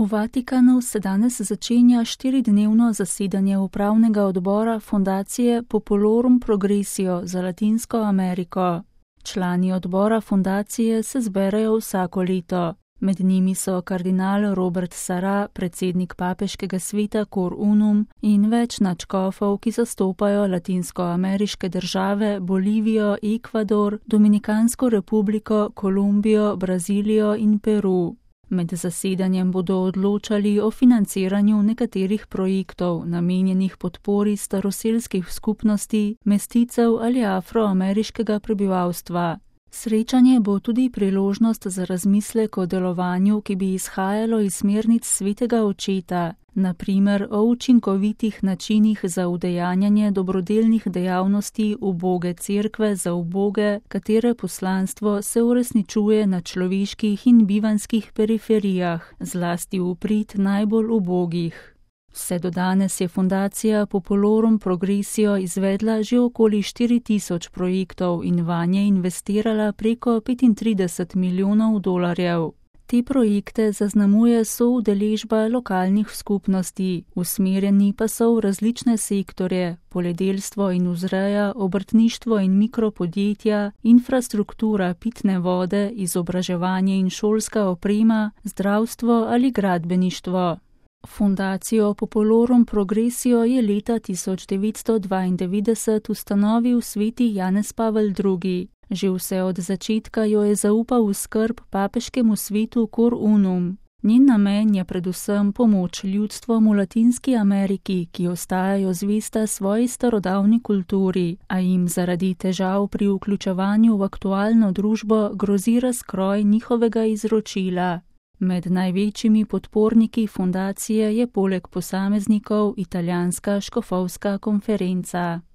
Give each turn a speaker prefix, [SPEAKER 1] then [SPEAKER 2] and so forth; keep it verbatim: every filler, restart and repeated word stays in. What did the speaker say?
[SPEAKER 1] V Vatikanu se danes začenja štiridnevno zasedanje upravnega odbora Fundacije Populorum Progressio za Latinsko Ameriko. Člani odbora fundacije se zberejo vsako leto. Med njimi so kardinal Robert Sarah, predsednik papeškega sveta Cor Unum in več nadškofov, ki zastopajo latinskoameriške države Bolivijo, Ekvador, Dominikansko republiko, Kolumbijo, Brazilijo in Peru. Med zasedanjem bodo odločali o financiranju nekaterih projektov, namenjenih podpori staroselskih skupnosti, mesticev ali afroameriškega prebivalstva. Srečanje bo tudi priložnost za razmislek o delovanju, ki bi izhajalo iz smernic svetega očeta, na primer o učinkovitih načinih za udejanjanje dobrodelnih dejavnosti uboge cerkve za uboge, katere poslanstvo se uresničuje na človeških in bivanskih periferijah, zlasti v prid najbolj ubogih. Vse do danes je fundacija Populorum Progressio izvedla že okoli štiri tisoč projektov in vanje investirala preko petintrideset milijonov dolarjev. Te projekte zaznamuje soudeležba lokalnih skupnosti, usmerjeni pa so v različne sektorje, poljedelstvo in vzreja, obrtništvo in mikropodjetja, infrastruktura pitne vode, izobraževanje in šolska oprema, zdravstvo ali gradbeništvo. Fundacijo Populorum Progressio je leta tisoč devetsto dvaindevetdeset ustanovil sveti Janez Pavel drugi. Že vse od začetka jo je zaupal v skrb papeškemu svetu Cor Unum. Njen namen je predvsem pomoč ljudstvom v Latinski Ameriki, ki ostajajo zvesta svoji starodavni kulturi, a jim zaradi težav pri vključevanju v aktualno družbo grozi razkroj njihovega izročila. Med največjimi podporniki fundacije je poleg posameznikov italijanska škofovska konferenca.